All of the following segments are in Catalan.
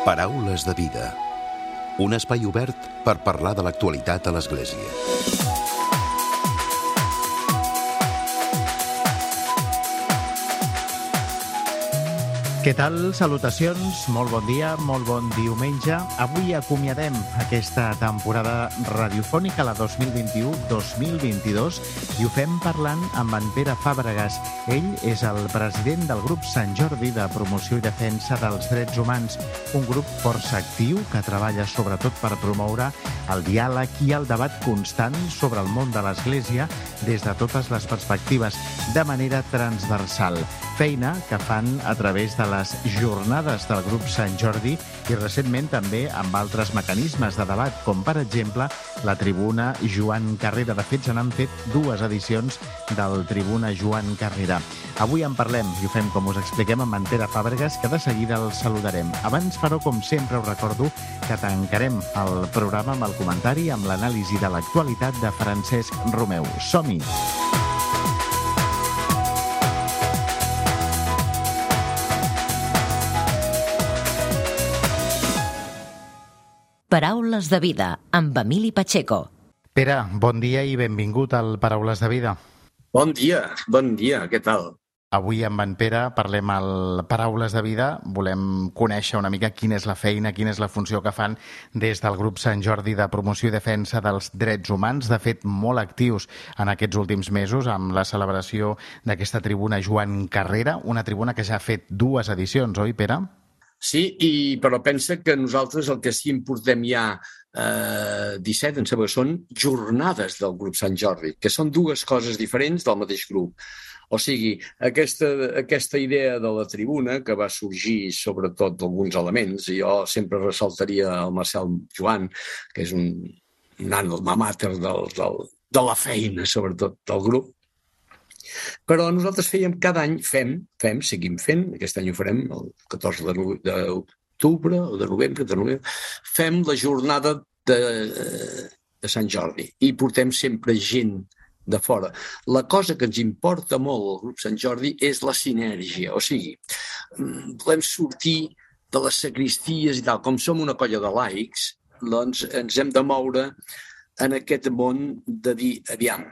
Paraules de vida. Un espai obert per parlar de l'actualitat a l'Església. Què tal? Salutacions, molt bon dia, molt bon diumenge. Avui acomiadem aquesta temporada radiofònica, la 2021-2022, i ho fem parlant amb en Pere Fàbregas. Ell és el president del grup Sant Jordi de Promoció i Defensa dels Drets Humans, un grup força actiu que treballa sobretot per promoure el diàleg i el debat constant sobre el món de l'Església des de totes les perspectives, de manera transversal. Feina que fan a través de les jornades del grup Sant Jordi i recentment també amb altres mecanismes de debat, com per exemple la Tribuna Joan Carrera. De fet, se n'han fet 2 edicions del Tribuna Joan Carrera. Avui en parlem i ho fem, com us expliquem, amb en Pere Fàbregas, que de seguida el saludarem. Abans, però, com sempre, us recordo que tancarem el programa amb el comentari, amb l'anàlisi de l'actualitat de Francesc Romeu. Som-hi! Paraules de vida, amb Emili Pacheco. Pere, bon dia i benvingut al Paraules de vida. Bon dia, què tal? Avui amb en Pere parlem al Paraules de vida. Volem conèixer una mica quina és la feina, quina és la funció que fan des del grup Sant Jordi de Promoció i Defensa dels Drets Humans. De fet, molt actius en aquests últims mesos amb la celebració d'aquesta tribuna Joan Carrera, una tribuna que ja ha fet 2 edicions, oi, Pere? Sí, però pensa que nosaltres el que sí importem ja 17, em sembla que són jornades del grup Sant Jordi, que són 2 coses diferents del mateix grup. O sigui, aquesta idea de la tribuna, que va sorgir sobretot d'alguns elements, i jo sempre ressaltaria el Marcel Joan, que és un alma mater de la feina, sobretot, del grup. Però nosaltres fèiem cada any, seguim fent, aquest any ho farem, el 14 d'octubre o de novembre, fem la jornada de Sant Jordi i portem sempre gent de fora. La cosa que ens importa molt al grup Sant Jordi és la sinergia, o sigui, volem sortir de les sagristies i tal. Com som una colla de laics, doncs ens hem de moure en aquest món de dir, aviam,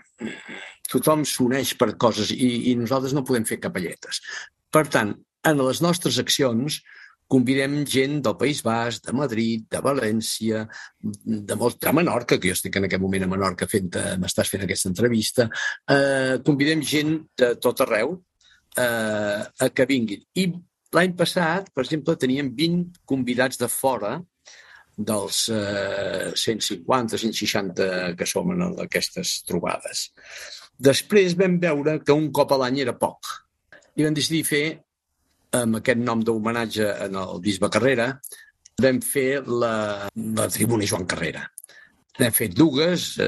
tothom s'uneix per coses i nosaltres no podem fer capelletes. Per tant, en les nostres accions convidem gent del País Basc, de Madrid, de València, de Menorca, que jo estic en aquest moment a Menorca m'estàs fent aquesta entrevista, convidem gent de tot arreu a que vinguin. I l'any passat, per exemple, teníem 20 convidats de fora dels 150, 160 que som en aquestes trobades. Després vam veure que un cop a l'any era poc i vam decidir fer, amb aquest nom d'homenatge en el bisbe Carrera, vam fer la Tribuna Joan Carrera. N'hem fet 2,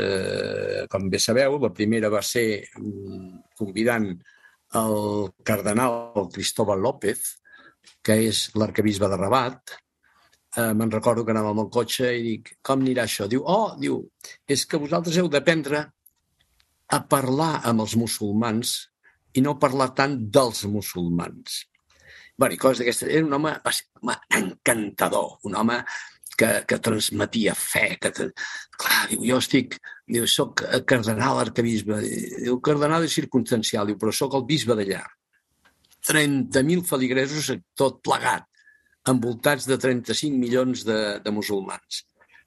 com bé sabeu. La primera va ser convidant el cardenal Cristóbal López, que és l'arquebisbe de Rabat. Me'n recordo que anàvem amb el cotxe i dic, com anirà això? Diu, és que vosaltres heu d'aprendre a parlar amb els musulmans i no parlar tant dels musulmans. Bé, i coses d'aquestes. Era un home encantador, un home que transmetia fe. Clar, diu, soc cardenal arquebisbe. Diu, cardenal és circumstancial, diu, però soc el bisbe d'allà. 30.000 feligresos tot plegat, envoltats de 35 milions de musulmans.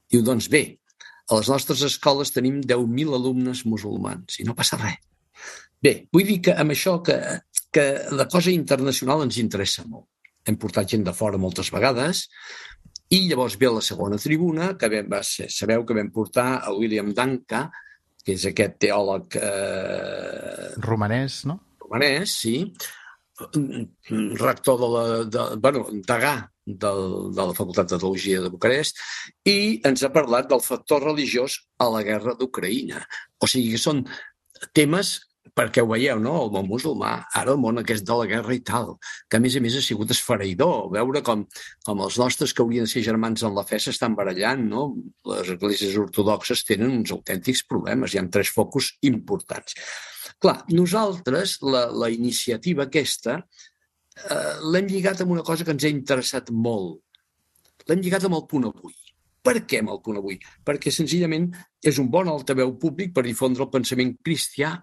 Diu, doncs bé, a les nostres escoles tenim 10.000 alumnes musulmans i no passa res. Bé, vull dir que amb això que la cosa internacional ens interessa molt. Hem portat gent de fora moltes vegades i llavors ve la segona tribuna, que sabeu que vam portar el William Danca, que és aquest teòleg romanès, no? Romanès, sí, rector degà de la Facultat de Teologia de Bucarest, i ens ha parlat del factor religiós a la guerra d'Ucraïna. O sigui que són temes, perquè ho veieu, no? El món musulmà, ara el món aquest de la guerra i tal, que a més ha sigut esfereïdor, veure com els nostres que haurien de ser germans en la fe s'estan barallant, no? Les esglésies ortodoxes tenen uns autèntics problemes, hi ha 3 focus importants. Clar, nosaltres, la iniciativa aquesta, l'hem lligat amb una cosa que ens ha interessat molt, l'hem lligat amb el punt avui. Per què amb el punt avui? Perquè senzillament és un bon altaveu públic per difondre el pensament cristià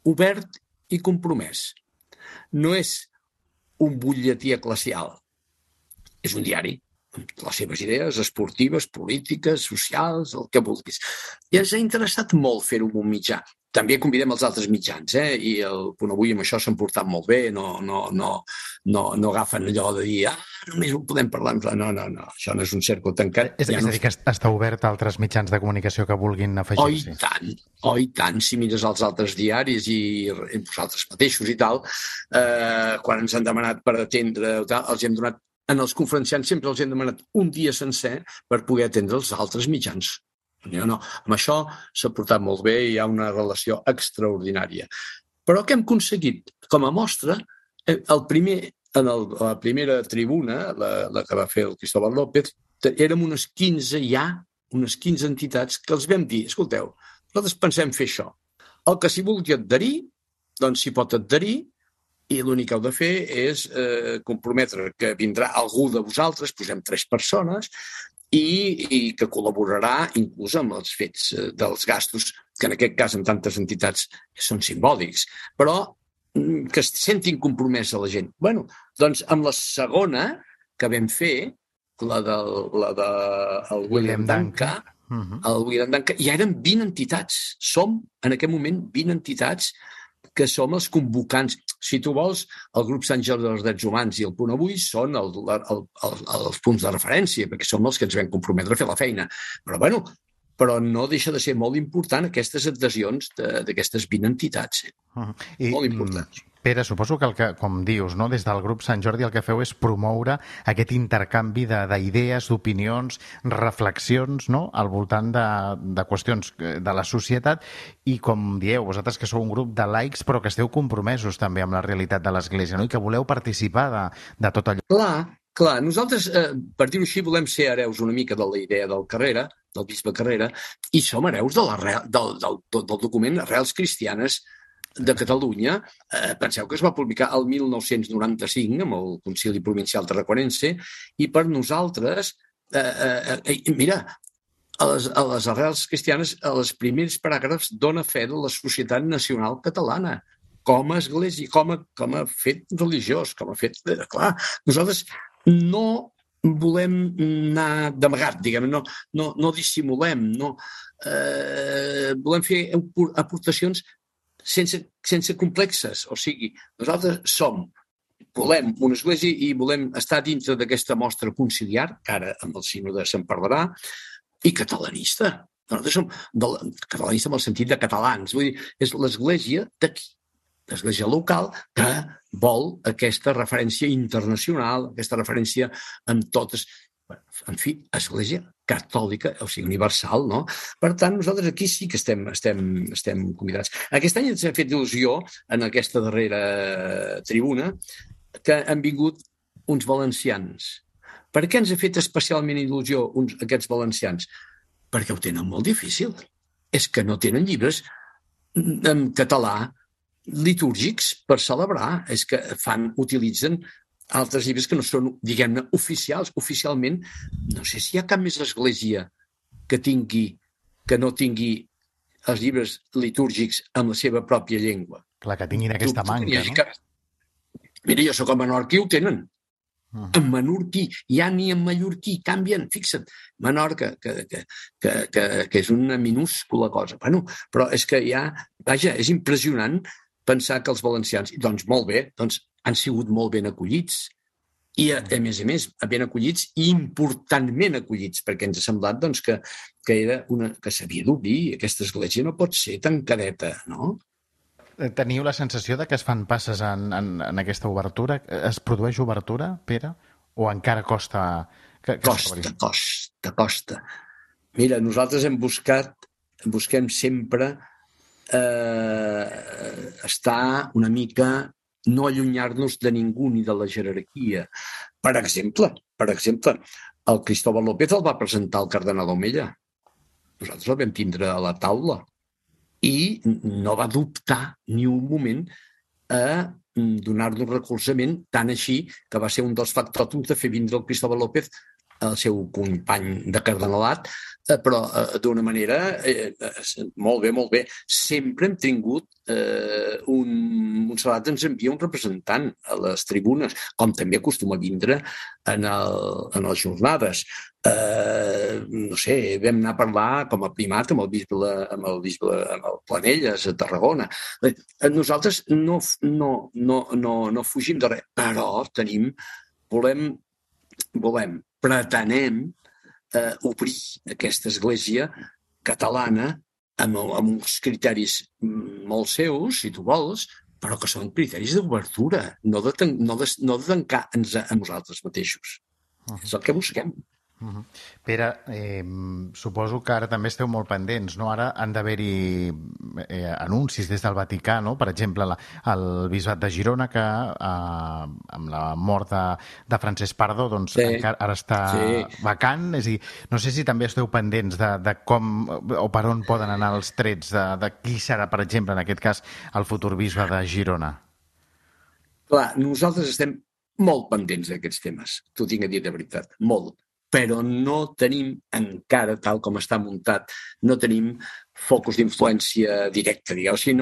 obert i compromès. No és un butlletí eclesial, és un diari, amb les seves idees esportives, polítiques, socials, el que vulguis. I ens ha interessat molt fer-ho amb un mitjà. També convidem els altres mitjans, i el Punt Avui amb això s'han portat molt bé, no agafen allò de dir només ho podem parlar. No, això no és un cercle tancat. És a dir, que està obert a altres mitjans de comunicació que vulguin afegir-s'hi. Oh, i tant, si mires els altres diaris i vosaltres mateixos i tal, quan ens han demanat per atendre, els hem donat, en els conferenciants sempre els hem demanat un dia sencer per poder atendre els altres mitjans. No, amb això s'ha portat molt bé i hi ha una relació extraordinària. Però què hem aconseguit? Com a mostra, la primera tribuna, la que va fer el Cristóbal López, érem unes 15 entitats que els vam dir, escolteu, nosaltres pensem fer això. El que s'hi vulgui adherir, doncs s'hi pot adherir, i l'únic que heu de fer és comprometre que vindrà algú de vosaltres, posem 3 persones, i que col·laborarà inclús amb els fets dels gastos, que en aquest cas en tantes entitats són simbòlics, però que es sentin compromès a la gent. Bé, doncs amb la segona que vam fer, la del William Danca, ja eren 20 entitats. Som, en aquest moment, 20 entitats que som els convocants. Si tu vols, el grup Sant Jordi dels Drets Humans i el Punt Avui són els punts de referència, perquè som els que ens vam comprometre a fer la feina. Però no deixa de ser molt important aquestes adhesions d'aquestes 20 entitats. Molt importants. Pere, suposo que, com dius, no, des del grup Sant Jordi el que feu és promoure aquest intercanvi d'idees, d'opinions, reflexions, no?, al voltant de qüestions de la societat i, com dieu, vosaltres que sou un grup de laics però que esteu compromesos també amb la realitat de l'Església, no?, i que voleu participar de tot allò. Clar, nosaltres, per dir-ho així, volem ser hereus una mica de la idea del Carrera, del bisbe Carrera, i som hereus del document Arrels Cristianes de Catalunya. Penseu que es va publicar el 1995 amb el Concili Provincial Tarraconense i per nosaltres, mira, a les Arrels Cristianes, els primers paràgrafs dona fe de la societat nacional catalana com a església, com a fet religiós, com a fet... Clar, nosaltres no volem anar d'amagat, diguem-ne, no dissimulem, volem fer aportacions sense complexes. O sigui, nosaltres volem una església i volem estar dintre d'aquesta mostra conciliar, que ara amb el sínode se'n parlarà, i catalanista. Nosaltres som catalanista amb el sentit de catalans. Vull dir, és l'església d'aquí, l'església local, que vol aquesta referència internacional, aquesta referència amb totes... En fi, església catòlica, o sigui, universal, no? Per tant, nosaltres aquí sí que estem convidats. Aquest any ens ha fet il·lusió, en aquesta darrera tribuna, que han vingut uns valencians. Per què ens ha fet especialment il·lusió aquests valencians? Perquè ho tenen molt difícil. És que no tenen llibres en català litúrgics per celebrar. És que utilitzen altres llibres que no són, diguem-ne, oficials. Oficialment, no sé si hi ha cap més església que no tingui els llibres litúrgics amb la seva pròpia llengua. Clar, que tinguin aquesta manca, no? Mira, jo soc a Menorca i ho tenen. En menorquí, ja ni en mallorquí, canvien, fixa't. Menorca, que és una minúscula cosa. Bueno, però és que vaja, és impressionant pensar que els valencians, doncs molt bé, doncs han sigut molt ben acollits i, a més, ben acollits i importantment acollits, perquè ens ha semblat doncs, que s'havia d'obrir. Aquesta església no pot ser tancadeta, no? Teniu la sensació de que es fan passes en aquesta obertura? Es produeix obertura, Pere? O encara costa? Costa. Mira, nosaltres busquem sempre estar una mica... no allunyar-nos de ningú ni de la jerarquia. Per exemple, el Cristóbal López el va presentar el cardenal Omella. Nosaltres el vam tindre a la taula i no va dubtar ni un moment a donar-nos recolzament, tant així que va ser un dels factòtums de fer vindre el Cristóbal López el seu company de cardenalat, però d'una manera molt bé. Sempre hem tingut Montserrat ens envia un representant a les tribunes, com també acostuma a vindre en les jornades. No sé, vam anar a parlar com a primat amb el Planelles a Tarragona. Nosaltres no fugim de res, però pretenem obrir aquesta església catalana amb uns criteris molt seus, si tu vols, però que són criteris d'obertura, no de tancar-nos a nosaltres mateixos. És el que busquem. Pere, suposo que ara també esteu molt pendents, no? Ara han d'haver-hi anuncis des del Vaticà, no? Per exemple, el bisbat de Girona, que amb la mort de Francesc Pardo, doncs encara ara està vacant. És a dir, no sé si també esteu pendents de com o per on poden anar els trets de qui serà, per exemple, en aquest cas, el futur bisbe de Girona. Clar, nosaltres estem molt pendents d'aquests temes, t'ho tinc a dir de veritat, molt. Però no tenim encara, tal com està muntat, no tenim focus d'influència directa, digueu. O sigui,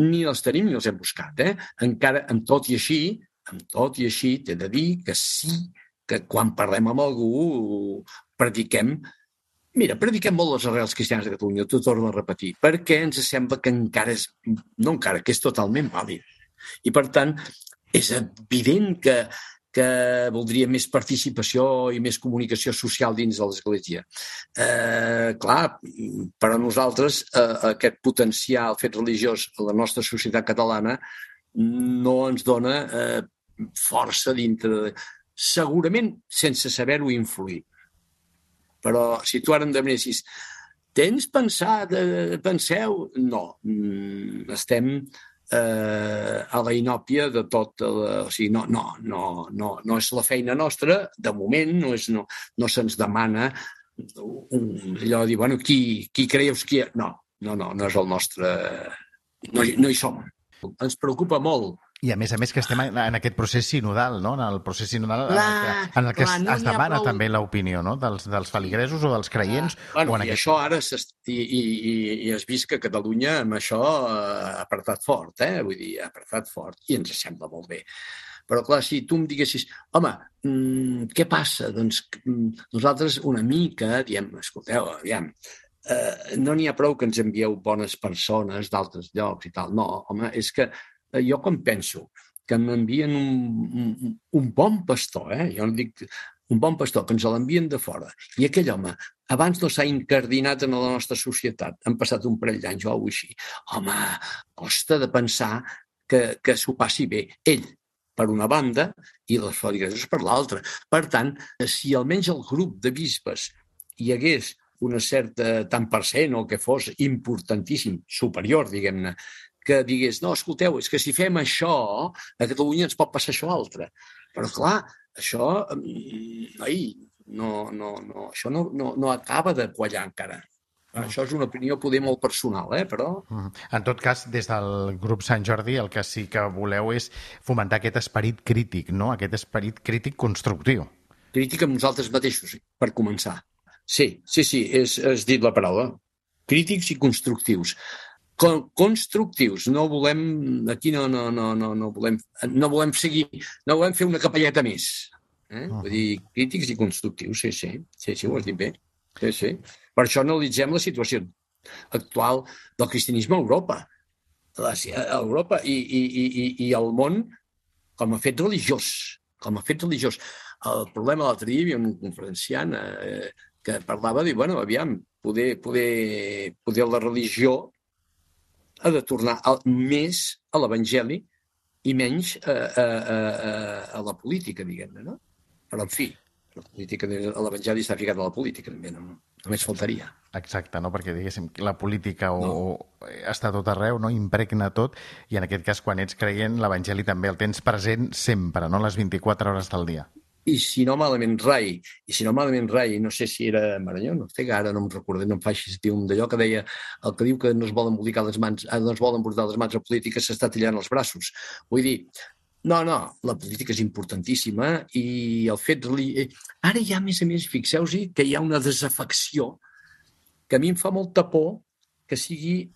ni els tenim ni els hem buscat. Encara, amb tot i així, t'he de dir que sí, que quan parlem amb algú prediquem molt les arrels cristianes de Catalunya, t'ho torno a repetir, perquè ens sembla que que és totalment vàlid. I, per tant, és evident que voldria més participació i més comunicació social dins de l'Església. Clar, per a nosaltres aquest potencial fet religiós a la nostra societat catalana no ens dona força dintre, segurament sense saber-ho influir. Però si tu ara em demanessis, penseu? No, estem a la inòpia de tot. O sigui, no és la feina nostra, de moment no se'ns demana allò de dir, bueno, qui creieu que... No és el nostre... No hi som. Ens preocupa molt. I a més que estem en aquest procés sinodal, no? En el procés sinodal en el que es demana també l'opinió, no? Dels feligresos o dels creients. Això ara i has vist que Catalunya amb això ha apretat fort, vull dir, ha apretat fort, i ens sembla molt bé. Però clar, si tu em diguessis, home, què passa? Doncs nosaltres una mica diem, escolteu, aviam, no n'hi ha prou que ens envieu bones persones d'altres llocs i tal. No, home, és que jo quan penso que m'envien un bon pastor, jo no dic un bon pastor, que ens l'envien de fora, i aquell home abans no s'ha incardinat en la nostra societat, han passat un parell d'anys o alguna cosa així, home, costa de pensar que s'ho passi bé ell, per una banda, i les feligresos per l'altra. Per tant, si almenys el grup de bisbes hi hagués una certa tant per cent o que fos importantíssim, superior, diguem-ne, que digués, no, escolteu, és que si fem això, a Catalunya ens pot passar això altre. Però, clar, això no acaba de quallar encara. Això és una opinió poder molt personal, però... En tot cas, des del grup Sant Jordi, el que sí que voleu és fomentar aquest esperit crític, no? Aquest esperit crític constructiu. Crític amb nosaltres mateixos, per començar. Sí, has dit la paraula. Crítics i constructius. Constructius, no volem seguir, no volem fer una capelleta més. Vull dir, crítics i constructius, sí, ho has dit bé. Sí. Per això analitzem la situació actual del cristianisme a Europa. I el món com a fet religiós. El problema l'altre dia hi havia un conferenciant que parlava de dir, bueno, aviam, poder la religió ha de tornar més a l'Evangeli i menys a la política, diguem-ne, no? Però, en fi, l'Evangeli està ficat a la política, també, només faltaria. Exacte, no? Perquè, diguéssim, la política està tot arreu, no? Impregna tot, i en aquest cas, quan ets creient, l'Evangeli també el tens present sempre, no? Les 24 hores del dia. I si no malament rai, no sé si era Maranyó, no sé, ara no em recordo, no em facis dir un d'allò que deia, el que diu que no es volen embolicar les mans, no es volen embolicar les mans a política s'està tallant els braços. Vull dir, No, la política és importantíssima i el fet... Ara ja, a més, fixeu-vos que hi ha una desafecció que a mi em fa molta por que sigui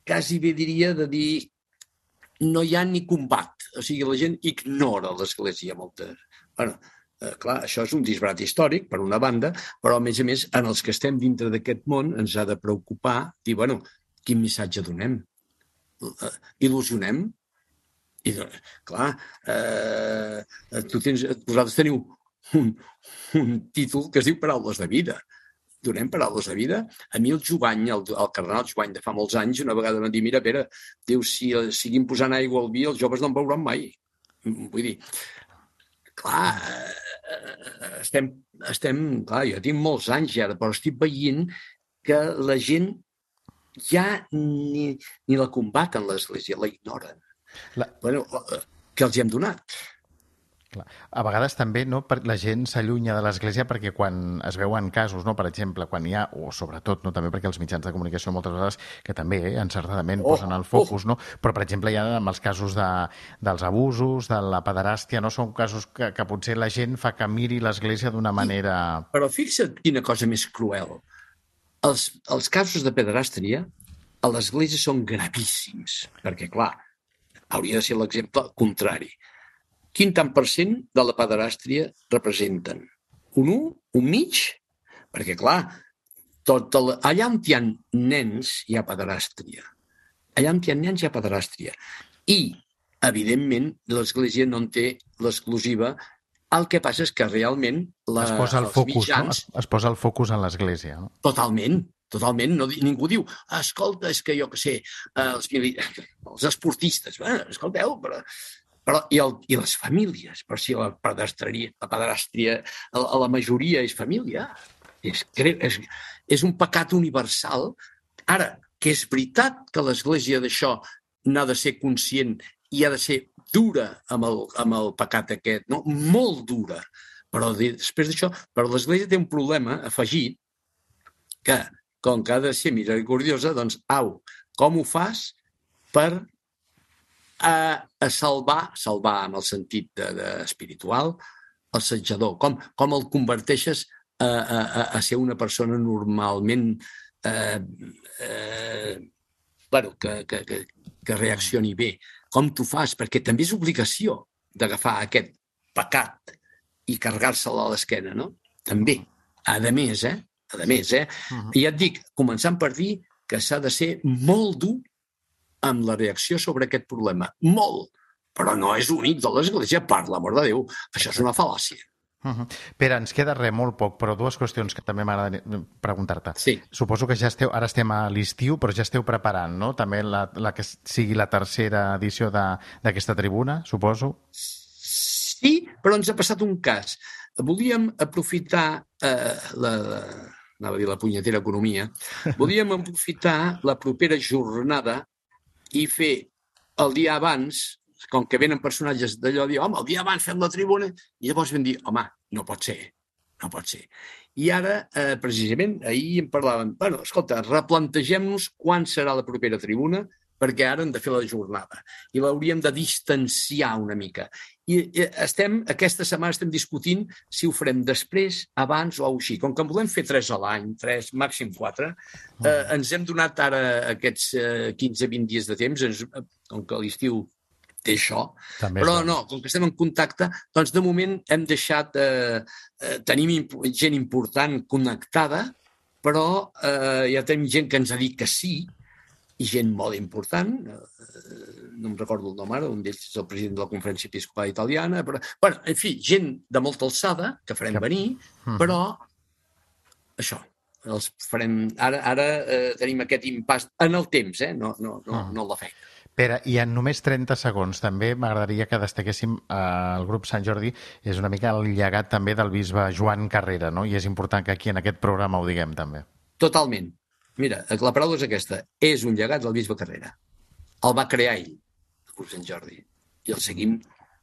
quasi bé diria de dir no hi ha ni combat. O sigui, la gent ignora l'Església moltes. Bueno, clar, això és un disbarat històric, per una banda, però, a més, en els que estem dintre d'aquest món ens ha de preocupar dir, bueno, quin missatge donem? Il·lusionem? I, clar, vosaltres teniu un títol que es diu Paraules de vida. Donem paraules de vida. A mi el Jovany, el cardenal Jovany de fa molts anys, una vegada em va dir, mira, Pere, diu, si siguin posant aigua al vi, els joves no en veuran mai. Vull dir, clar, clar, jo tinc molts anys ja, però estic veient que la gent ja ni la combaten l'Església, la ignoren. Bueno, què els hi hem donat? Clar. A vegades també la gent s'allunya de l'Església perquè quan es veuen casos, per exemple, quan hi ha, o sobretot també perquè els mitjans de comunicació moltes vegades, que també encertadament posen el focus, però per exemple hi ha amb els casos dels abusos, de la pederàstia, són casos que potser la gent fa que miri l'Església d'una manera... Però fixa't quina cosa més cruel. Els casos de pederàstia a l'Església són gravíssims, perquè, clar, hauria de ser l'exemple contrari. Quin tant per cent de la pederàstria representen? Un 1? Un mig? Perquè, clar, allà on hi ha nens hi ha pederàstria. Allà on hi ha nens hi ha pederàstria. I, evidentment, l'Església no en té l'exclusiva. El que passa és que realment es posa el focus, mitjans... Es posa el focus en l'Església. No? Totalment. Ningú diu, escolta, és que jo què sé, els esportistes, escolteu, però i les famílies, per si la pederàstria a la majoria és família. És un pecat universal. Ara, que és veritat que l'Església d'això n'ha de ser conscient i ha de ser dura amb el pecat aquest, no? Molt dura. Però després d'això, però l'Església té un problema afegit que, com que ha de ser misericordiosa, doncs, com ho fas per a salvar en el sentit espiritual, l'assetjador? Com el converteixes a ser una persona normalment que reaccioni bé? Com t'ho fas? Perquè també és obligació d'agafar aquest pecat i carregar-se'l a l'esquena, no? També. A més, I ja et dic, començant per dir que s'ha de ser molt dur amb la reacció sobre aquest problema. Molt! Però no és únic de l'Església, per l'amor de Déu. Això és una fal·làcia. Pere, ens queda molt poc, però dues qüestions que també m'agradaria preguntar-te. Sí. Suposo que ara estem a l'estiu, però ja esteu preparant, no? També la que sigui la tercera edició d'aquesta tribuna, suposo? Sí, però ens ha passat un cas. Volíem aprofitar anava a dir la punyetera economia, volíem aprofitar la propera jornada i fer el dia abans, com que venen personatges d'allò, dir, home, el dia abans fem la tribuna, i llavors vam dir, home, no pot ser. I ara, precisament, ahir em parlaven, bueno, escolta, replantegem-nos quan serà la propera tribuna, perquè ara hem de fer la jornada i l'hauríem de distanciar una mica. I aquesta setmana estem discutint si ho farem després, abans o així. Com que en volem fer 3 a l'any, 3, màxim 4, ens hem donat ara aquests 15-20 dies de temps, com que l'estiu té això, però no, com que estem en contacte, doncs de moment hem deixat, tenim gent important connectada, però ja tenim gent que ens ha dit que sí, i gent molt important, no em recordo el nom ara, un d'ells és el president de la Conferència Episcopal Italiana, però, bueno, en fi, gent de molta alçada que farem venir, però això, els farem... Ara tenim aquest impàs en el temps, no la feina. Pere, i en només 30 segons també m'agradaria que destaquéssim el grup Sant Jordi, és una mica el llegat també del bisbe Joan Carrera, no? I és important que aquí en aquest programa ho diguem també. Totalment. Mira, la paraula és aquesta, és un llegat del bisbe Carrera. El va crear ell, el grup Sant Jordi, i el seguim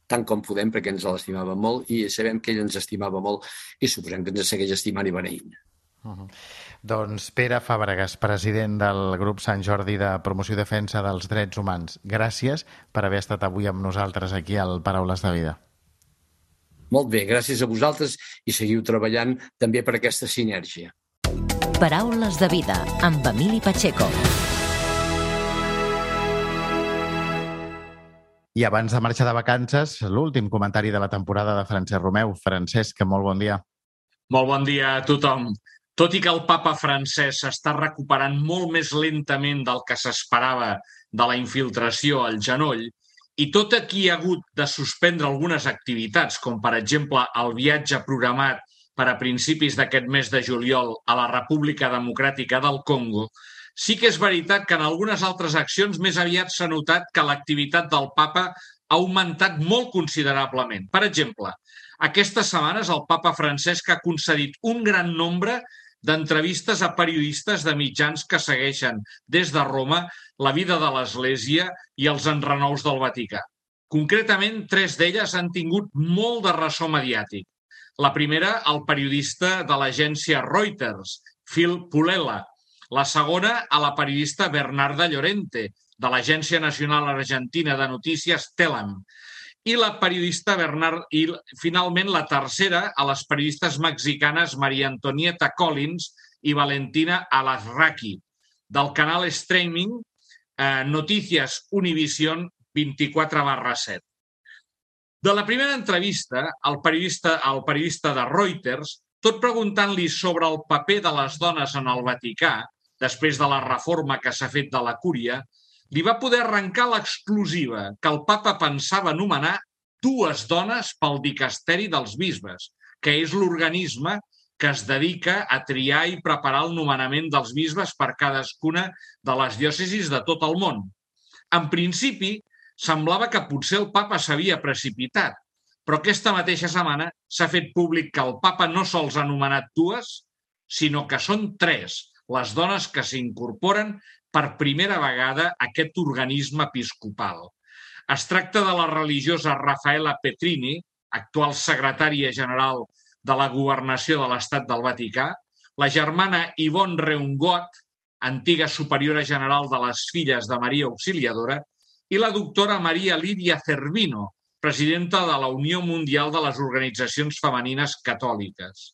tant com podem perquè ens l'estimava molt i sabem que ell ens estimava molt i suposem que ens segueix estimant i beneint. Doncs Pere Fàbregas, president del grup Sant Jordi de Promoció i Defensa dels Drets Humans, gràcies per haver estat avui amb nosaltres aquí al Paraules de Vida. Molt bé, gràcies a vosaltres i seguiu treballant també per aquesta sinergia. Paraules de Vida amb Emili Pacheco. I abans de marxar de vacances, l'últim comentari de la temporada de Francesc Romeu. Francesc, molt bon dia. Molt bon dia a tothom. Tot i que el papa francès s'està recuperant molt més lentament del que s'esperava de la infiltració al genoll, i tot i que hi ha hagut de suspendre algunes activitats, com per exemple el viatge programat per a principis d'aquest mes de juliol a la República Democràtica del Congo, sí que és veritat que en algunes altres accions més aviat s'ha notat que l'activitat del papa ha augmentat molt considerablement. Per exemple, aquestes setmanes el papa Francesc ha concedit un gran nombre d'entrevistes a periodistes de mitjans que segueixen des de Roma la vida de l'Església i els enrenous del Vaticà. Concretament, 3 d'elles han tingut molt de ressò mediàtic. La primera, el periodista de l'agència Reuters, Phil Pullela. La segona, a la periodista Bernarda Llorente, de l'Agència Nacional Argentina de Notícies Telam. I finalment la tercera a les periodistes mexicanes María Antonieta Collins i Valentina Alasraqui, del canal streaming Noticias Univision 24/7. De la primera entrevista, el periodista de Reuters, tot preguntant-li sobre el paper de les dones en el Vaticà, després de la reforma que s'ha fet de la Cúria, li va poder arrencar l'exclusiva que el papa pensava anomenar 2 dones pel dicasteri dels bisbes, que és l'organisme que es dedica a triar i preparar el nomenament dels bisbes per cadascuna de les diòcesis de tot el món. En principi, semblava que potser el papa s'havia precipitat, però aquesta mateixa setmana s'ha fet públic que el papa no sols ha anomenat 2, sinó que són 3 les dones que s'incorporen per primera vegada a aquest organisme episcopal. Es tracta de la religiosa Raffaella Petrini, actual secretària general de la Governació de l'Estat del Vaticà, la germana Yvonne Reungot, antiga superiora general de les Filles de Maria Auxiliadora, i la doctora Maria Lídia Cervino, presidenta de la Unió Mundial de les Organitzacions Femenines Catòliques.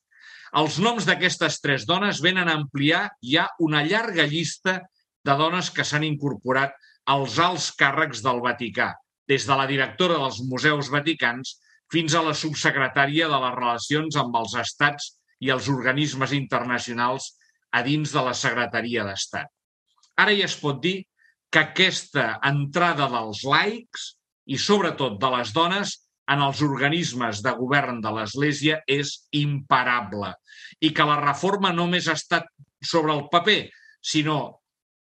Els noms d'aquestes 3 dones venen a ampliar ja una llarga llista de dones que s'han incorporat als alts càrrecs del Vaticà, des de la directora dels Museus Vaticans fins a la subsecretària de les Relacions amb els Estats i els organismes internacionals a dins de la Secretaria d'Estat. Ara ja es pot dir que aquesta entrada dels laics i sobretot de les dones en els organismes de govern de l'Església és imparable i que la reforma no només ha estat sobre el paper, sinó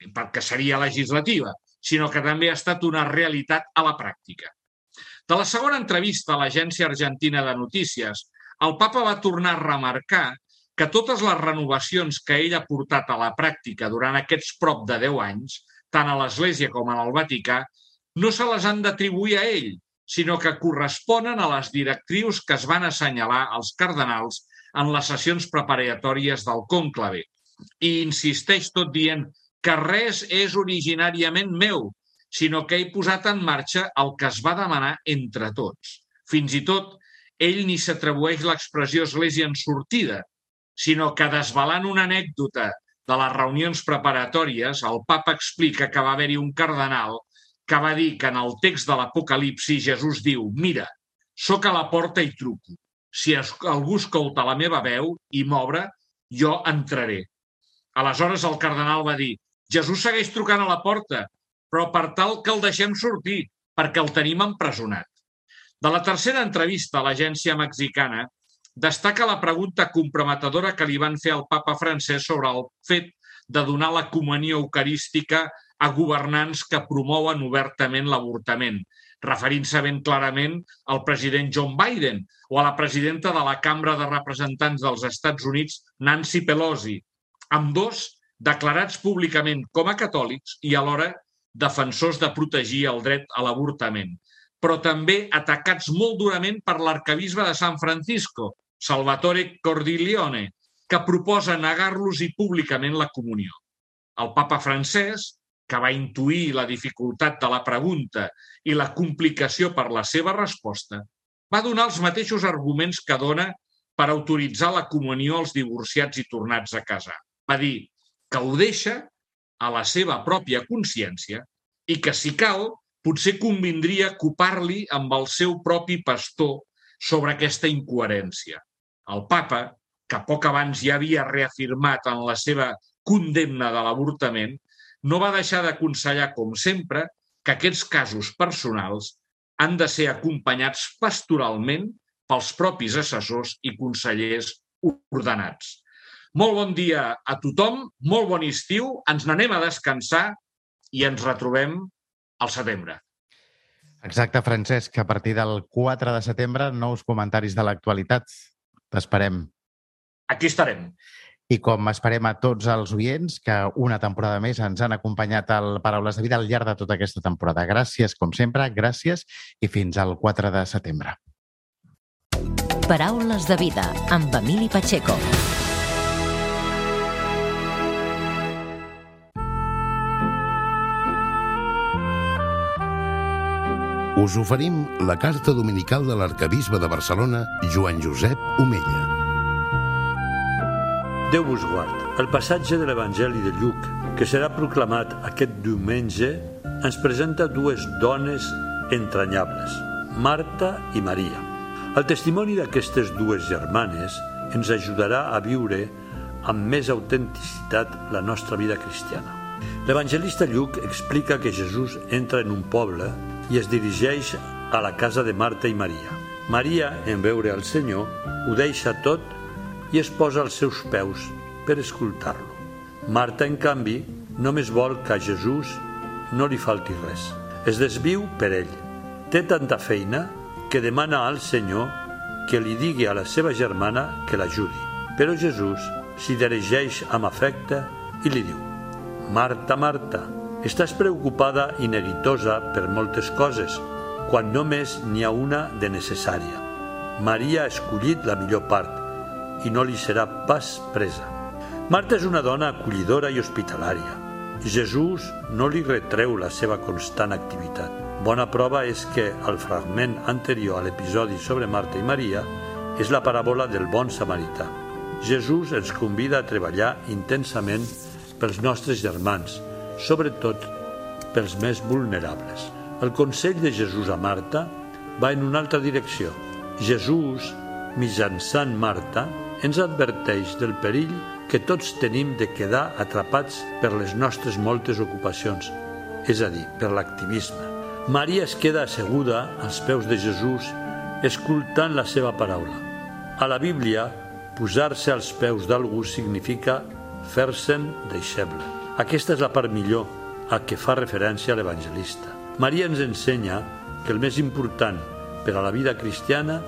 perquè seria legislativa, sinó que també ha estat una realitat a la pràctica. De la segona entrevista a l'Agència Argentina de Notícies, el papa va tornar a remarcar que totes les renovacions que ell ha portat a la pràctica durant aquests prop de 10 anys, tant a l'Església com al Vaticà, no se les han d'atribuir a ell, sinó que corresponen a les directrius que es van assenyalar als cardenals en les sessions preparatòries del cònclave. I insisteix tot dient que res és originàriament meu, sinó que he posat en marxa el que es va demanar entre tots. Fins i tot, ell ni s'atribueix l'expressió església en sortida, sinó que desvelant una anècdota de les reunions preparatòries, el papa explica que va haver-hi un cardenal que va dir que en el text de l'Apocalipsi Jesús diu: «Mira, sóc a la porta i truco. Si algú escolta la meva veu i m'obre, jo entraré». Aleshores el cardenal va dir: «Jesús segueix trucant a la porta, però per tal que el deixem sortir, perquè el tenim empresonat». De la tercera entrevista a l'agència mexicana, destaca la pregunta comprometedora que li van fer al papa francès sobre el fet de donar la comunió eucarística a governants que promouen obertament l'avortament, referint-se ben clarament al president John Biden o a la presidenta de la Cambra de Representants dels Estats Units, Nancy Pelosi, ambdós declarats públicament com a catòlics i alhora defensors de protegir el dret a l'avortament, però també atacats molt durament per l'arquebisbe de San Francisco, Salvatore Cordileone, que proposa negar-los i públicament la comunió. El papa Francesc, que va intuir la dificultat de la pregunta i la complicació per la seva resposta, va donar els mateixos arguments que dona per autoritzar la comunió als divorciats i tornats a casar. Va dir que ho deixa a la seva pròpia consciència i que, si cal, potser convindria ocupar-li amb el seu propi pastor sobre aquesta incoherència. El papa, que poc abans ja havia reafirmat en la seva condemna de l'avortament, no va deixar d'aconsellar, com sempre, que aquests casos personals han de ser acompanyats pastoralment pels propis assessors i consellers ordenats. Molt bon dia a tothom, molt bon estiu, ens n'anem a descansar i ens retrobem al setembre. Exacte, Francesc, a partir del 4 de setembre, nous comentaris de l'actualitat. T'esperem. Aquí estarem. I com esperem a tots els oients que una temporada més ens han acompanyat al Paraules de Vida al llarg de tota aquesta temporada. Gràcies, com sempre, gràcies i fins al 4 de setembre. Paraules de Vida amb Emili Pacheco. Us oferim la carta dominical de l'arquebisbe de Barcelona, Joan Josep Omella. Déu vos guard. El passatge de l'Evangeli de Lluc, que serà proclamat aquest diumenge, ens presenta dues dones entranyables, Marta i Maria. El testimoni d'aquestes dues germanes ens ajudarà a viure amb més autenticitat la nostra vida cristiana. L'evangelista Lluc explica que Jesús entra en un poble i es dirigeix a la casa de Marta i Maria. Maria, en veure el Senyor, ho deixa tot i es posa als seus peus per escoltar-lo. Marta, en canvi, només vol que a Jesús no li falti res. Es desviu per ell. Té tanta feina que demana al Senyor que li digui a la seva germana que l'ajudi. Però Jesús s'hi dirigeix amb afecte i li diu: Marta, Marta, estàs preocupada i neguitosa per moltes coses, quan només n'hi ha una de necessària. Maria ha escollit la millor part i no li serà pas presa. Marta és una dona acollidora i hospitalària. Jesús no li retreu la seva constant activitat. Bona prova és que el fragment anterior a l'episodi sobre Marta i Maria és la paràbola del bon samarità. Jesús ens convida a treballar intensament pels nostres germans, sobretot pels més vulnerables. El consell de Jesús a Marta va en una altra direcció. Jesús, mitjançant Marta, ens adverteix del perill que tots tenim de quedar atrapats per les nostres moltes ocupacions, és a dir, per l'activisme. Maria es queda asseguda als peus de Jesús, escoltant la seva paraula. A la Bíblia, posar-se als peus d'algú significa fer-se'n deixeble. Aquesta és la part millor a què fa referència l'evangelista. Maria ens ensenya que el més important per a la vida cristiana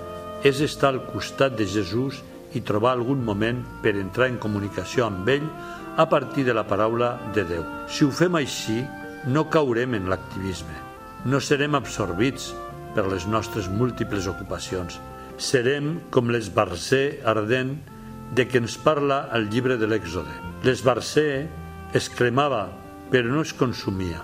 és estar al costat de Jesús i trobar algun moment per entrar en comunicació amb ell a partir de la paraula de Déu. Si ho fem així, no caurem en l'activisme. No serem absorbits per les nostres múltiples ocupacions. Serem com l'esbarzer ardent de què ens parla el llibre de l'Èxode. L'esbarzer es cremava, però no es consumia.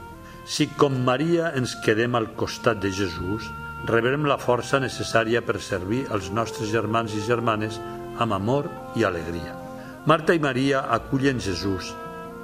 Si com Maria ens quedem al costat de Jesús, rebrem la força necessària per servir als nostres germans i germanes amb amor i alegria. Marta i Maria acullen Jesús.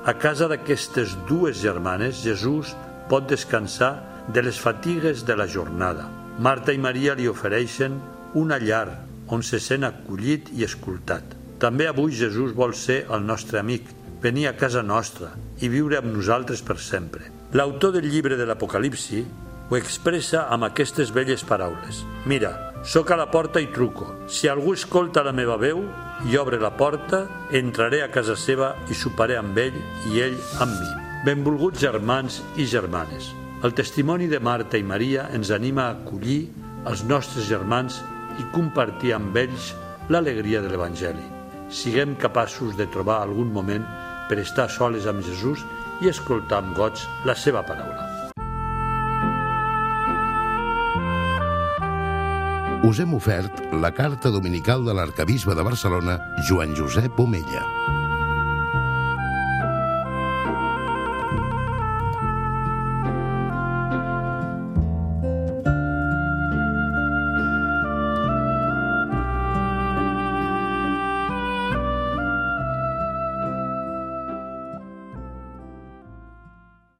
A casa d'aquestes dues germanes, Jesús pot descansar de les fatigues de la jornada. Marta i Maria li ofereixen una llar on se sent acollit i escoltat. També avui Jesús vol ser el nostre amic, venir a casa nostra i viure amb nosaltres per sempre. L'autor del llibre de l'Apocalipsi ho expressa amb aquestes belles paraules. Mira, soc a la porta i truco. Si algú escolta la meva veu i obre la porta, entraré a casa seva i soparé amb ell i ell amb mi. Benvolguts germans i germanes. El testimoni de Marta i Maria ens anima a acollir els nostres germans i compartir amb ells l'alegria de l'Evangeli. Siguem capaços de trobar algun moment per estar soles amb Jesús i escoltar amb goig la seva paraula. us hem ofert la carta dominical de l'arcabisbe de Barcelona, Joan Josep Omella.